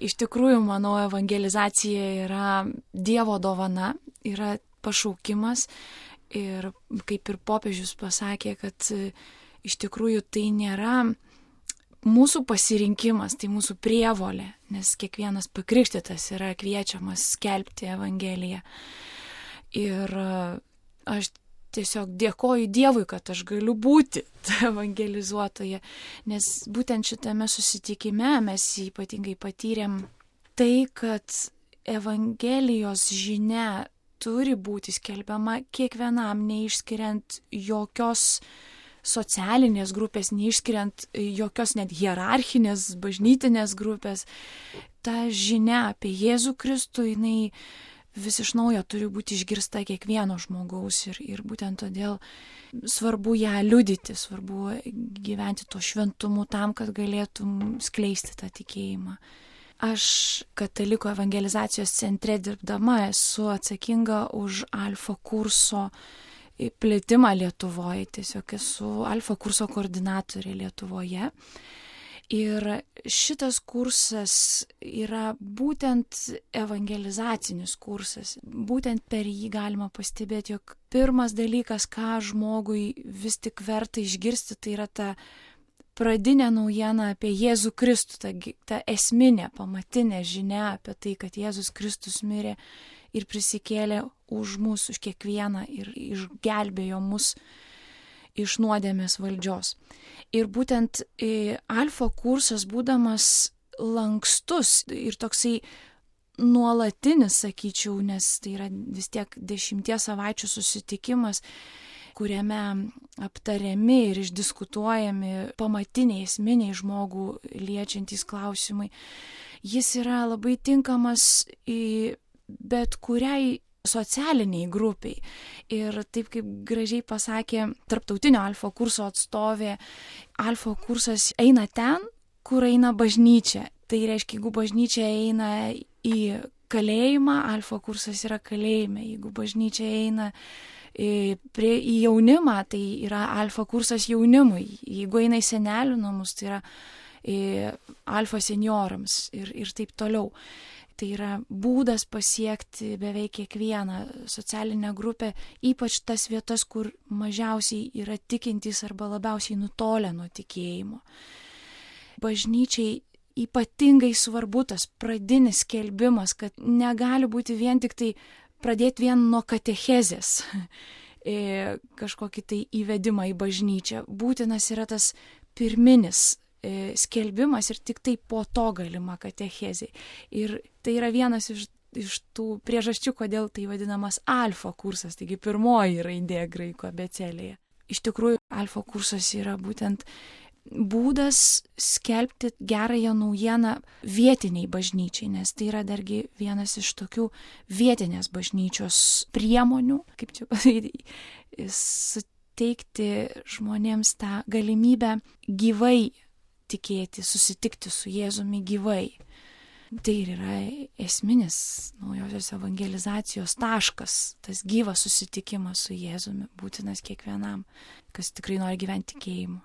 Iš tikrųjų, manau, evangelizacija yra Dievo dovana, yra pašaukimas ir kaip ir popiežius pasakė, kad iš tikrųjų tai nėra mūsų pasirinkimas, tai mūsų prievolė, nes kiekvienas pakrikštytas yra kviečiamas skelbti Evangeliją. Ir aš tiesiog dėkoju Dievui, kad aš galiu būti evangelizuotoje, nes būtent šitame susitikime mes ypatingai patyrėm tai, kad Evangelijos žinia turi būti skelbiama kiekvienam, neišskiriant jokios socialinės grupės, neišskiriant jokios net hierarchinės, bažnytinės grupės. Ta žinia apie Jėzų Kristų, jinai vis iš naujo turi būti išgirsta kiekvieno žmogaus ir būtent todėl svarbu ją liudyti, svarbu gyventi to šventumu tam, kad galėtum skleisti tą tikėjimą. Aš Katalikų evangelizacijos centre dirbdama esu atsakinga už Alfa kurso plėtimą Lietuvoje, tiesiog esu Alfa kurso koordinatorė Lietuvoje. Ir šitas kursas yra būtent evangelizacinis kursas. Būtent per jį galima pastebėti, jog pirmas dalykas, ką žmogui vis tik verta išgirsti, tai yra ta pradinė naujiena apie Jėzų Kristų, ta esminė, pamatinė žinia apie tai, kad Jėzus Kristus mirė ir prisikėlė už mus, už kiekvieną ir išgelbėjo mus iš nuodėmės valdžios. Ir būtent Alfa kursas, būdamas lankstus ir toksai nuolatinis, sakyčiau, nes tai yra vis tiek 10 savaičių susitikimas, kuriame aptariami ir išdiskutuojami pamatiniai, esminiai žmogų liečiantys klausimai. Jis yra labai tinkamas į bet kuriai socialiniai grupiai. Ir taip kaip gražiai pasakė tarptautinio Alfa kurso atstovė, Alfa kursas eina ten, kur eina bažnyčia. Tai reiškia, jeigu bažnyčia eina į kalėjimą, Alfa kursas yra kalėjime. Jeigu bažnyčia eina į jaunimą, tai yra Alfa kursas jaunimui. Jeigu eina į senelių namus, tai yra Alfa seniorams ir taip toliau. Tai yra būdas pasiekti beveik kiekvieną socialinę grupę, ypač tas vietas, kur mažiausiai yra tikintys arba labiausiai nutolę nuo tikėjimo. Bažnyčiai ypatingai svarbu tas pradinis skelbimas, kad negali būti vien tik tai pradėti vien nuo katechezės, kažkokį tai įvedimą į bažnyčią. Būtinas yra tas pirminis skelbimas ir tik tai po to galima katechezė. Ir tai yra vienas iš tų priežasčių, kodėl tai vadinamas Alfa kursas, taigi pirmoji raidė graikų abėcėlėje. Iš tikrųjų, Alfa kursas yra būtent būdas skelbti gerąją naujieną vietiniai bažnyčiai, nes tai yra dargi vienas iš tokių vietinės bažnyčios priemonių, kaip čia pasakyti, suteikti žmonėms tą galimybę gyvai tikėti, susitikti su Jėzumi gyvai. Tai ir yra esminis naujosios evangelizacijos taškas, tas gyvas susitikimas su Jėzumi, būtinas kiekvienam, kas tikrai nori gyventi tikėjimu.